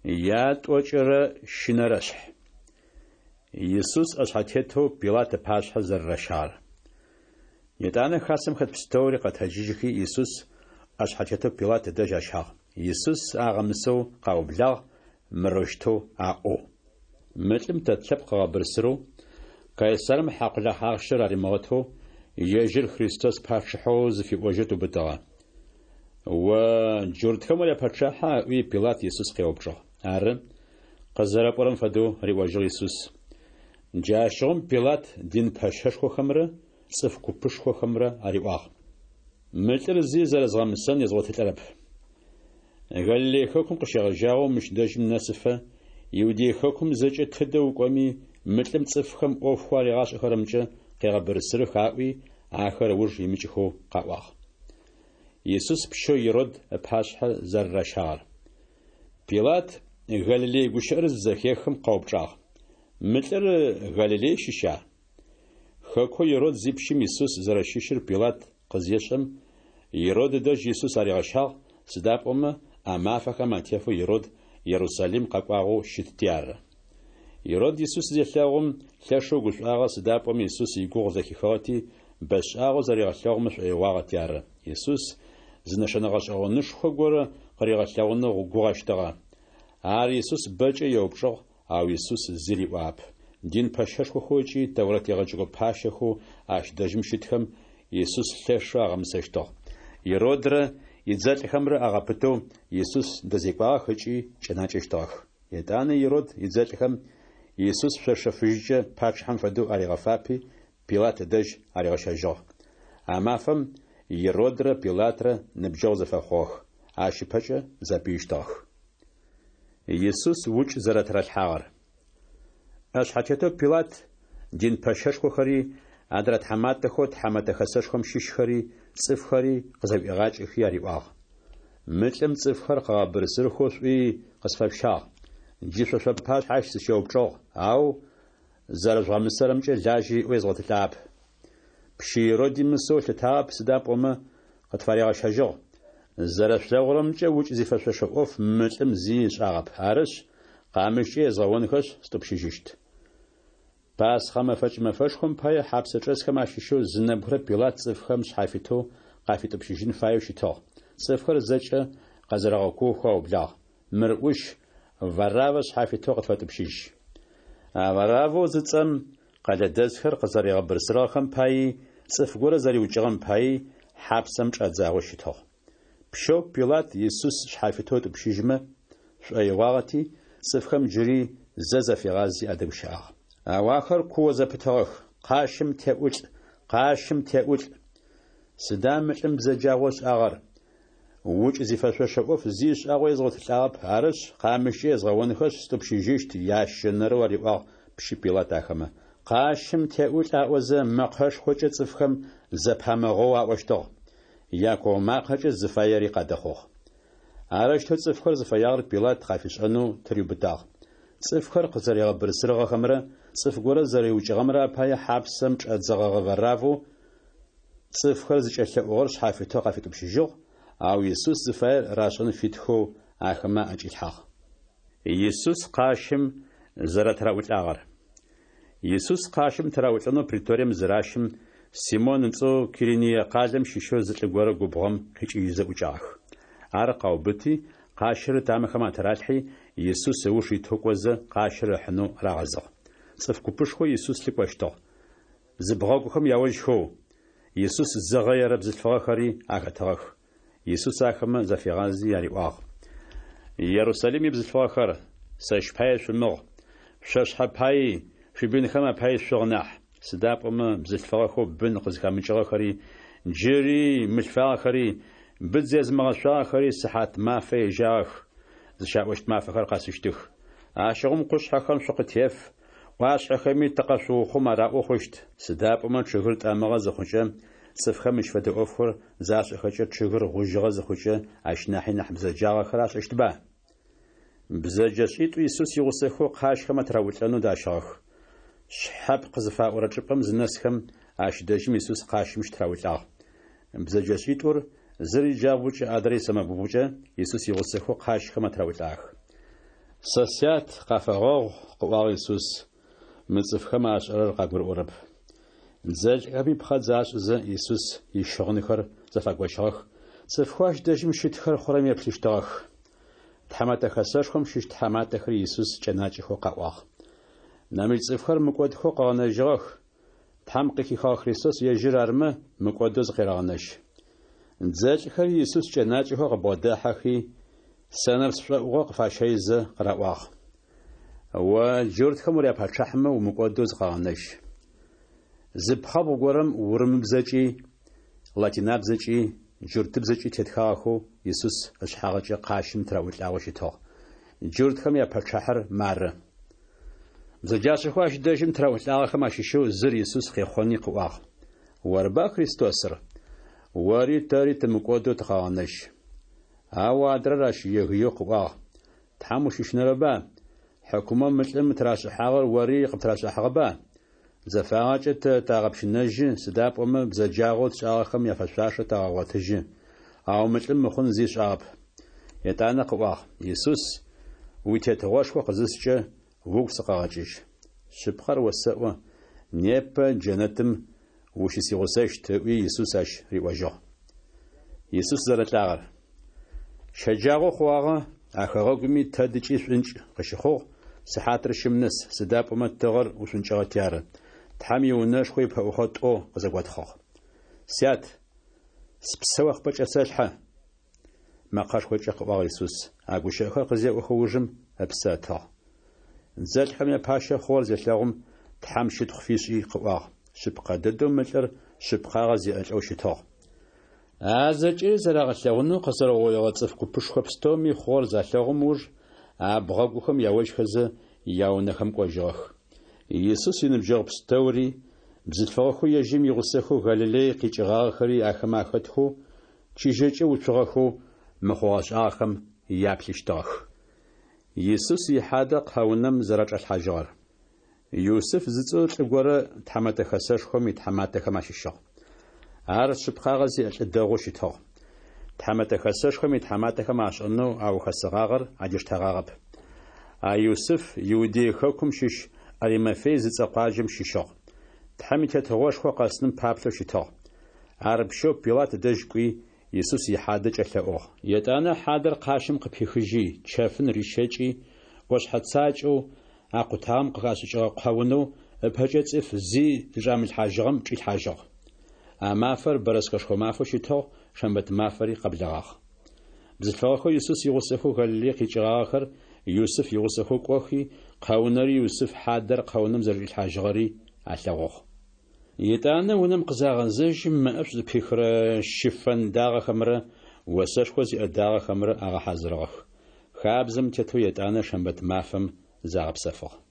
Ятӏокӏырэ щынэрэшъхь. Исус ӏэшъхьэтетэу Пилат ыпашъхьэ зэрэращагъэр. Етӏанэ хасэм хэт пстэури къэтэджыжьхи, Исус ӏэшъхьэтетэу Пилат ыдэжь ащагъ. Исус агъэмысэу къаублагъ, мырэущтэу аӏоу: Мы лӏым тэ тлъэпкъ ыгъэбырсырэу, Кайсарым хьакъулахь ахъщэр аримыгъэтэу, ежьыр Христос пачъыхьэу зыфиӏожьэу тыубытыгъэ. О джуртхэм уряпэчъахьа? ыӏуи, Пилат Исус къеупчӏыгъ. Ары, къызэрэпӏорэм фэдэу, риӏожьыгъ Исус. Джащыгъум Пилат дин пэщэшхохэмрэ цӏыф купышхохэмрэ ариӏуагъ: Мы лӏыр зи зэрэзгъэмысэн езгъотылӏэрэп. Галилей хэкум къыщегъэжьагъэу мыщ дэжьым нэсыфэ, Иудей хэкум зэкӏэ тыдэ укӏоми, мы лӏым цӏыфхэм ӏофхэу аригъашӏэхэрэмкӏэ къегъэбырсырых, аӏуи, ахэр ыуж имыкӏыхэу къаӏуагъ. Исус пщэу Ирод ыпашъхьэ зэрэращагъэр. Пилат Галилей гущыӏэр зызэхехым къэупчӏагъ: Мы лӏыр Галилей щыща? Хэкоу Ирод зипщым Исус зэрэщыщыр Пилат къызешӏэм, Ирод ыдэжь Исус аригъэщагъ, сыда пӏомэ а мафэхэм атефэу Ирод Ерусалим къэкӏуагъэу щытти ары. Ирод Исус зелъэгъум, лъэшэу гушӏуагъэ, сыда пӏомэ Исус игугъу зэхихыгъэти, бэшӏагъэу зэригъэлъэгъумэ шӏоигъуагъэти ары. Исус зы нэшэнэ гъэшӏэгъонышхо горэ къыригъэлъэгъунэу гугъэщтыгъэ. Ар Исус бэкӏэ еупчӏыгъ, ау Исус зи риӏуагъэп. Дин пэщэшхохэу ыкӏи Тэурэт егъэджэкӏо пащэхэу ащ дэжьым щытхэм Исус лъэшэу агъэмысэщтыгъ. Иродрэ идзэлӏхэмрэ агъэпытэу Исус дэзекӏуагъэх ыкӏи кӏэнакӏэщтыгъэх. Етӏанэ Ирод идзэлӏхэм Исус шъошэ фыжькӏэ пачъыхьэм фэдэу аригъэфапи, Пилат ыдэжь аригъэщэжьыгъ. А мафэм Иродрэ Пилатрэ ныбджэгъу зэфэхъугъэх, ащ ыпэкӏэ зэпыищтыгъэх. Исус укӏ зэрэтыралъхьагъэр. ӏэшъхьэтетэу Пилат дин пэщэшхохэри, адрэ тхьаматэхэу Тхьэмэтэ Хэсэшхом щыщхэри, цӏыфхэри къызэӏуигъакӏэхи ариӏуагъ: Мы лӏым цӏыфхэр къыгъэбырсырхэу шъуи къысфэшъущагъ. Джы шъо шъуапашъхьэ ащ сыщеупчӏыгъ, ау зэрэжъугъэмысэрэмкӏэ лажьэ иӏэу езгъотылӏагъэп. Пщы Ироди мысэу ылъытагъэп, сыда пӏомэ къытфаригъэщэжьыгъ. Зэрэшъулъэгъурэмкӏэ укӏ зифэшъошэ ӏоф мы лӏым зи ышӏагъэп. Арышъ, къамыщкӏэ езгъэонхэшъ, стӏупщыжьыщт. Пасхъэ мэфэкӏ мэфэшхом пае хьапсэчӏэсхэм ащыщэу зы нэбгырэ Пилат цӏыфхэм шъхьафитэу къафитӏупщыжьын фаеу щытыгъ. Цӏыфхэр зэкӏэ къэзэрэгъэкуохэу аублагъ: Мыр ӏущ, Вараввэ шъхьафитэу къытфэтӏупщыжь. А Вараввэу зыцӏэм къэлэдэсхэр къызэригъэбырсырыгъэхэм паий, цӏыф горэ зэриукӏыгъэм паий хьапсэм чӏадзагъэу щытыгъ. Пщэу Пилат Исус шъхьафитэу ытӏупщыжьмэ шӏоигъуагъэти, цӏыфхэм джыри зэ зафигъази адэгущыӏагъ. Ау ахэр куо зэпытыгъэх: Къащым теӏулӏ! Къащым теӏулӏ! Сыда мы лӏым бзэджагъэу ышӏагъэр? Укӏ зифэшъошэ ӏоф зи ышӏагъэу езгъотылӏагъэп, арышъ, къамыщкӏэ езгъэонхэшъ, стӏупщыжьыщт, ящэнэрэу ариӏуагъ пщы Пилат ахэмэ. Къащым теӏулӏ аӏозэ, мэкъэшхокӏэ цӏыфхэм зэпамыгъэоу аӏощтыгъ. Якуо макъэкӏэ зыфаери къадэхъугъ. Арэущтэу цӏыфхэр зыфэягъэр Пилат къафишӏэнэу тыриубытагъ. Цӏыфхэр къызэригъэбырсырыгъэхэмрэ цӏыф горэ зэриукӏыгъэмрэ апае хьапсэм чӏадзэгъэгъэ Вараввэу цӏыфхэр зыкӏэлъэӏугъэр шъхьафитэу къафитӏупщыжьыгъ, ау Исус зыфаер рашӏэн фитхэу ахэмэ аӏэкӏилъхьагъ. Исус къащым зэрэтыраӏулӏагъэр. Исус къащым тыраӏулӏэнэу преторием зыращым, Симон ыцӏэу Кириние къалэм щыщэу зы лӏы горэ губгъом къикӏыжьызэ ӏукӏагъэх. Ар къаубыти, къащыр ытамэхэм атыралъхьи, Исус ыуж итэу кӏозэ, къащыр ыхьынэу рагъэзыгъ. Цӏыф купышхо Исус лъыкӏощтыгъ. Зыбгъэгухэм яожьхэу, Исус зыгъэерэ бзылъфыгъэхэри ахэтыгъэх. Исус ахэмэ зафигъази ариӏуагъ: Ерусалим ибзылъфыгъэхэр, сэщ пае шъумыгъ, шъо шъхьэ паий, шъуибынхэм апаий шъугъ нахь. Сыда пӏомэ бзылъфыгъэхэу бын къызхэмыкӏыгъэхэри, джыри мылъфагъэхэри, быдз езымыгъэшъуагъэхэри сыхьат мафэ ежагъэх, зыщаӏощт мафэхэр къэсыщтых. Ащыгъум къушъхьэхэм шъукъытеф, ӏуашъхьэхэми тыкъэшъуухъум араӏоу хъущт. Сыда пӏомэ чъыгыр тӏэмыгъэ зыхъукӏэ, цӏыфхэм мыщ фэдэ ӏофхэр зашӏэхэкӏэ чъыгыр гъужьыгъэ зыхъукӏэ ащ нахьи нахь бзэджагъэхэр ашӏэщтба? Бзэджэшӏитӏу Исус игъусэхэу къащхэм атыраӏулӏэнэу дащыгъэх. Шъхьэпкъ зыфаӏорэ чӏыпӏэм зынэсхэм, ащ дэжьым Исус къащым щытыраӏулӏагъ. Бзэджэшӏитӏур, зыр иджабгъукӏэ, адрэр исэмэгубгъукӏэ, Исус игъусэхэу къащхэм атыраӏулӏагъэх. Сэ Сят, къафэгъэгъу, къыӏуагъ Исус, мы цӏыфхэм ашӏэрэр къагурыӏорэп. Дзэлӏхэми пхъэдз ашӏызэ, Исус ищыгъынхэр зэфагощыгъэх, цӏыфхэу ащ дэжьым щытхэр хъурэм еплъыщтыгъэх. Тхьэмэтэ Хэсэшхом щыщ тхьаматэхэри Исус кӏэнакӏэхэу къаӏуагъ. Нэмыкӏ цӏыфхэр мыкӏодхэу къыгъэнэжьыгъэх, Тхьэм къыхихыгъэ Христос ежьыр армэ, мыкӏодэу зыкъерэгъэнэжь. Дзэлӏхэри Исус кӏэнакӏэхэу къыбгъодахьэхи, сэнэпс шӏоӏугъэ къыфащэйзэ къыраӏуагъ. О джуртхэм уряпачъыхьэмэ, умыкӏодэу зыкъэгъэнэжь. Зы пхъэбгъу горэм урымыбзэкӏи, латинабзэкӏи, джуртыбзэкӏи тетхагъэхэу Исус ышъхьагъыкӏэ къащым тыраӏулӏагъэу щытыгъ. Джуртхэм япачъыхьэр мары. Бзэджашӏэхэу ащ дэжьым тыраӏулӏагъэхэм ащыщэу зыр Исус къехъони къыӏуагъ. Орба Христосыр? Ори тэри тымыкӏодэу тыкъэгъэнэжь. Ау адрэр ащ егыеу къыӏуагъ, Тхьэм ущыщынэрэба? Хьыкумэу мы лӏым тырашӏыхьагъэр ори къыптырашӏыхьагъэба? Зэфагъэкӏэ тэ тагъэпщынэжьы, сыда пӏомэ бзэджагъэу тшӏагъэхэм яфэшъуашэ тагъэгъотыжьы. Ау мы лӏым мыхъун зи ышӏагъэп. Етӏанэ къыӏуагъ, Исус, уи Тетыгъошхо къызыскӏэ, угу сыкъэгъэкӏыжь. Шъыпкъэр осэӏо, непэ джэнэтым ущысигъусэщт, ыӏуи Исус ащ риӏожьыгъ. Исус зэрэлӏагъэр. Щэджагъо хъугъагъэ, а хэгъэгуми тэдыкӏи шӏункӏ къыщыхъугъ, сыхьатыр щым нэс, сыда пӏомэ тыгъэр ушӏункӏыгъэти ары. Тхьэм иунэшхо ипэӏухъо тӏо къызэготхъыгъ. Сят, спсэ о къыпӏэкӏэсэлъхьэ! Мэкъэшхокӏэ къыӏуагъ Исус. А гущыӏэхэр къызеӏохэ ужым ыпсэ ытыгъ. Дзэлӏхэм япащэ хъугъэр зелъэгъум, Тхьэм щытхъу фишӏи къыӏуагъ, Шъыпкъэ дэдэу мы лӏыр шъыпкъагъэ зиӏэ лӏэу щытыгъ. А зэкӏэри зэрагъэлъэгъунэу къэзэрэугъоигъэ цӏыф купышхо пстэуми хъугъэр залъэгъум ыуж, абгъэгухэм яожьхэзэ, яунэхэм кӏожьыгъэх. Исус иныбджэгъу пстэури, бзылъфыгъэхэу ежьым игъусэхэу Галилей къикӏыгъагъэхэри ахэмэ ахэтхэу, чыжьэкӏэ уцугъэхэу мы хъугъэ-шӏагъэхэм яплъыщтыгъэх. Исус ихьадэ кхъэунэм зэрэчӏалъхьажьыгъэр. Юсыф зыцӏэу лӏы горэ Тхьэмэтэ Хэсэшхом итхьаматэхэм ащыщыгъ. Ар шъыпкъагъэ зиӏэ лӏы дэгъоу щытыгъ. Тхьэмэтэ Хэсэшхом итхьаматэхэм ашӏэнэу аухэсыгъагъэр адиштэгъагъэп. А Юсыф Иудей хэкум щыщ Аримафей зыцӏэ къуаджэм щыщыгъ. Тхьэм и Тетыгъошхо къэсыным паплъэу щытыгъ. Ар пщэу Пилат дэжь кӏуи, Исус ихьадэ кӏэлъэӏугъ. Етӏанэ хьадэр къащым къыпихыжьи, чэфын рищэкӏи, ӏошъхьэ цакӏэу акъутагъэм къыхашӏыкӏыгъэ кхъэунэу ыпэкӏэ цӏыф зи зычӏамылъхьажьыгъэм чӏилъхьажьыгъ. А мафэр бэрэскэшхо мафэу щытыгъ, шэмбэт мафэри къэблэгъагъ. Бзылъфыгъэхэу Исус игъусэхэу Галилей къикӏыгъагъэхэр Юсыф игъусэхэу кӏохи, кхъэунэри Юсыф хьадэр кхъэунэм зэрэчӏилъхьажьыгъэри алъэгъугъ. Етӏанэ унэм къызагъэзэжьым, мэӏэшӏу зыпихырэ щыфэн дагъэхэмрэ осэшхо зиӏэ дагъэхэмрэ агъэхьазырыгъэх. Хабзэм тетэу етӏанэ шэмбэт мафэм загъэпсэфыгъ.